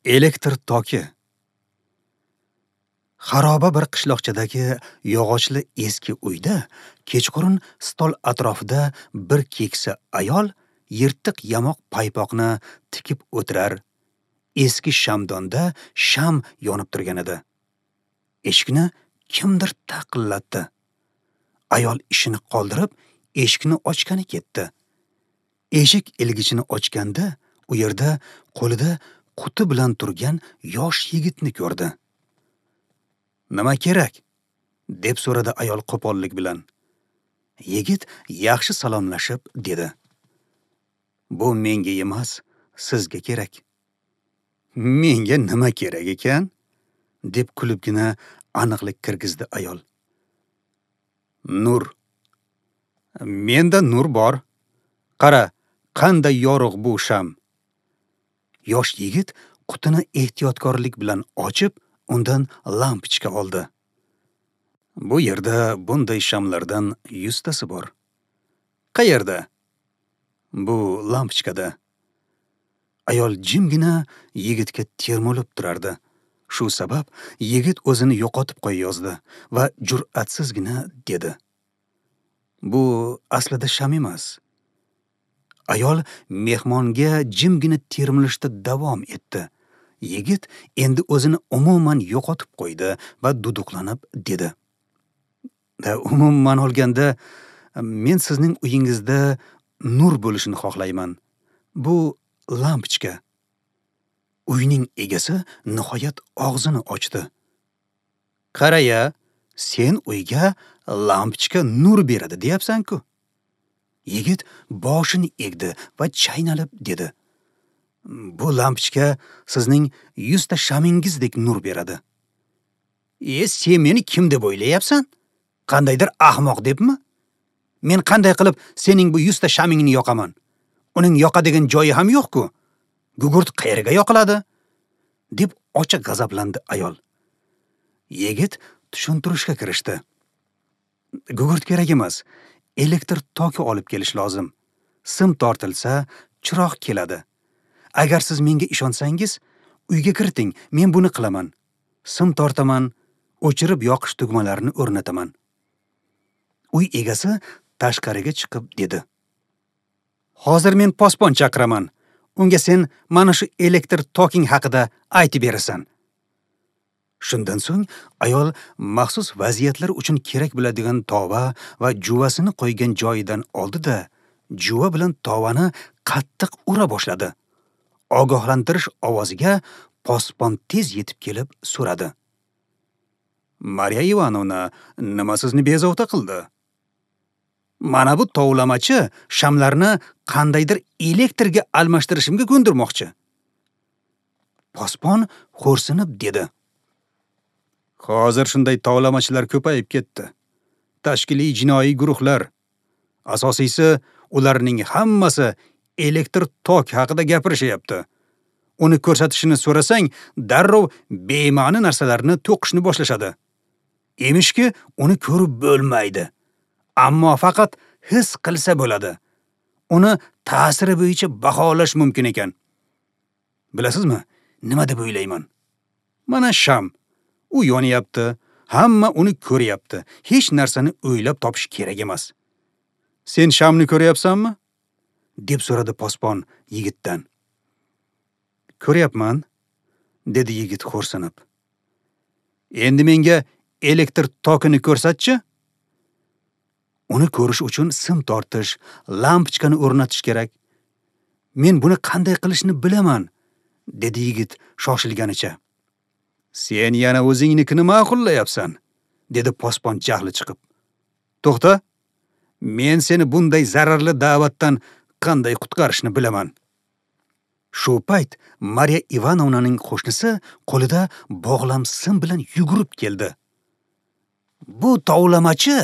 Elektr toki. Xaroba bir qishloqchadagi yog'ochli eski uyda kechqurun stol atrofida bir keksa ayol yirtiq yamoq paypoqni tikib o'tirar. Eski shamdonda sham yonib turgan edi. Eshikni kimdir taqillatdi. Ayol ishini qoldirib, eshikni ochgani ketdi. Eshik ilgichini ochganda u yerda qo'lida quti bilan turgan yosh yigitni ko'rdi. "Nima kerak?" deb so'radi ayol qo'pollik bilan. Yigit yaxshi salomlashib dedi: "Bu menga emas, sizga kerak." "Menga nima kerak ekan?" deb kulibgina aniqlik kirgizdi ayol. "Nur. Menda nur bor. Qara, qanday yorug' bu sham." Yosh yigit qutini ehtiyotkorlik bilan ochib, undan lampochka oldi. Bu yerda bunday shamlardan 100 tasi bor. "Qayerda?" "Bu lampochkada." Ayol jimgina yigitga termulib turardi. Shu sabab yigit o'zini yo'qotib qo'yayozdi va jur'atsizgina dedi: "Bu aslida sham emas." Ayol mehmonga jimgina termilishda davom etdi. Yigit endi o'zini umuman yo'qotib qo'ydi va duduqlanib dedi: "Umuman olganda, men sizning uyingizda nur bo'lishini xohlayman. Bu lampochka." Uyning egasi nihoyat og'zini ochdi. "Qaraya, sen uyga lampochka nur beradi deyapsan-ku." Yigit boshini egdi va chaynalib dedi: "Bu lampochka sizning 100 ta shamingizdek nur beradi." Sen meni kim deb o'ylayapsan? Qandaydir ahmoq debmi? Men qanday qilib sening bu 100 ta shamingni yoqaman? Uning yoqadigan joyi ham yo'q-ku. Gugurt qayerga yoqiladi?" deb ochiq g'azablandi ayol. Yigit tushuntirishga kirishdi. "Gugurt kerak emas, elektr toki olib kelish lozim. Sim tortilsa, chiroq keladi. Agar siz menga ishonsangiz, uyga kiriting, men buni qilaman. Sim tortaman, o'chirib yoqish tugmalarini o'rnataman." Uy egasi tashqariga chiqib dedi: "Hozir men posbon chaqiraman. Unga sen mana shu elektr toking haqida aytib berasan." Shundan so'ng ayol maxsus vaziyatlar uchun kerak bo'ladigan tova va juvasini qo'ygan joyidan oldi-da, juva bilan tovani qattiq ura boshladi. Ogohlantirish ovoziga posbon tez yetib kelib so'radi: "Mariya Ivanovna, nima sizni bezovta qildi?" "Mana bu tovlamachi shamlarni qandaydir elektrga almashtirishimga ko'ndirmoqchi." Posbon xo'rsinib dedi: "Hozir shunday tovlamachilar ko'payib ketdi. Tashkiliy jinoiy guruhlar. Asosiysi, ularning hammasi elektr tok haqida gapirishyapti. Uni ko'rsatishini so'rasang, darrov bema'ni narsalarni to'qishni boshlashadi. Emishki, uni ko'rib bo'lmaydi. Ammo faqat his qilsa bo'ladi. Uni ta'siri bo'yicha baholash mumkin ekan. Bilasizmi, nima deb o'ylayman? Mana sham. U yonyapti, hamma uni ko'ryapti. Hech narsani o'ylab topish kerak emas. Sen shamni ko'ryapsanmi?" deb so'radi posbon yigitdan. "Ko'ryapman," dedi yigit xo'rsinib. "Endi menga elektr tokini ko'rsatchi." "Uni ko'rish uchun sim tortish, lampochkani o'rnatish kerak. Men buni qanday qilishni bilaman," dedi yigit shoshilganicha. "Sen yana o'zingnikini ma'qullayapsan," dedi posbon jahli chiqib. "To'xta, men seni bunday zararli da'vatdan qanday qutqarishni bilaman." Shu payt Mariya Ivanovnaning qo'shnisi qo'lida bog'lam sim bilan yugurib keldi. "Bu tovlamachi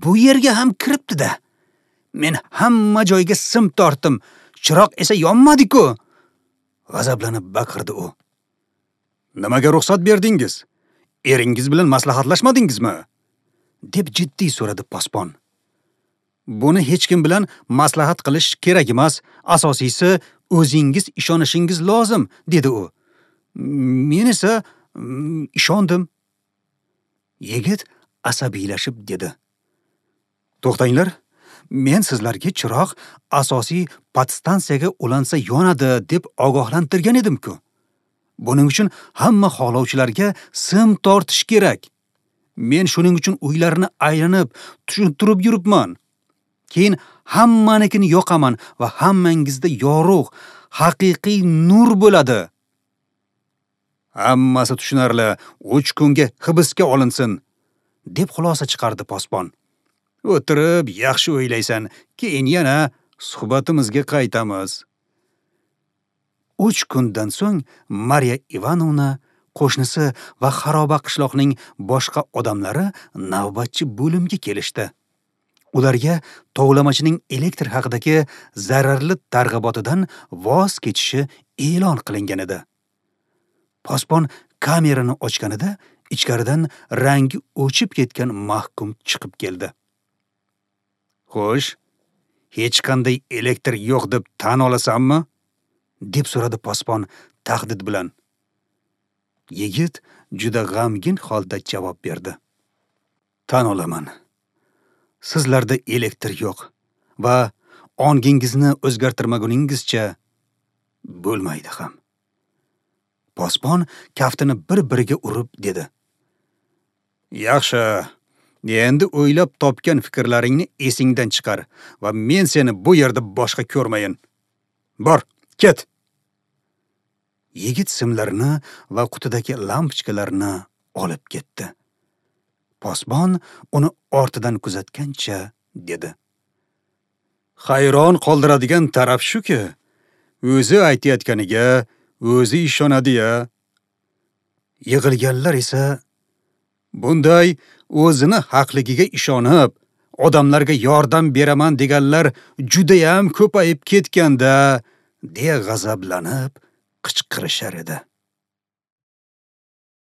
bu yerga ham kiribdi-da. Men hamma joyga sim tortdim, chiroq esa yonmadi-ku!" g'azablanib baqirdi u. "Nimaga ruxsat berdingiz? Eringiz bilan maslahatlashmadingizmi?" deb jiddiy so'radi posbon. "Buni hech kim bilan maslahat qilish kerak emas, asosiysi o'zingiz ishonishingiz lozim," dedi u. Men esa ishondim. Yigit asabiylashib dedi. To'xtanglar, men sizlarga chiroq asosiy podstansiyaga ulansa yonadi deb ogohlantirgan edim-ku. Buning uchun hamma xohlovchilarga sim tortish kerak. Men shuning uchun uylarni aylanib, tushuntirib yuribman. Keyin hammanikini yoqaman va hammangizda yorug', haqiqiy nur bo'ladi. Hammasi tushunarli, 3 kunga hibsga olinsin, deb xulosa chiqardi posbon. O'tirib yaxshi o'ylaysan, keyin yana suhbatimizga qaytamiz. 3 kundan so'ng Mariya Ivanovna, qo'shnisi va xaroba qishloqning boshqa odamlari navbatchi bo'limga kelishdi. Ularga tovlamachining elektr haqidagi zararli targ'ibotidan voz kechishi e'lon qilingan edi. Posbon kamerani ochganida ichkaridan rangi o'chib ketgan mahkum chiqib keldi. Xo'sh, hech qanday elektr yo'q deb tan olasanmi? Deb so'radi posbon tahdid bilan. Yigit juda g'amgin holda javob berdi. Tan olaman. Sizlarda elektr yo'q va ongingizni o'zgartirmaguningizcha bo'lmaydi ham. Posbon kaftini bir-biriga urib dedi. Yaxshi, endi o'ylab topgan fikrlaringni esingdan chiqar va men seni bu yerda boshqa ko'rmayin. Bor, ket. Yigit simlarini va qutidagi lampochkalarni olib ketdi. Posbon uni ortidan kuzatgancha dedi. Hayron qoldiradigan taraf shuki, o'zi aytayotganiga o'zi ishonadi-ya. Yig'ilganlar esa bunday o'zini haqligiga ishonib, odamlarga yordam beraman deganlar judayam ko'payib ketganda, deya g'azablanib qichqirishar edi.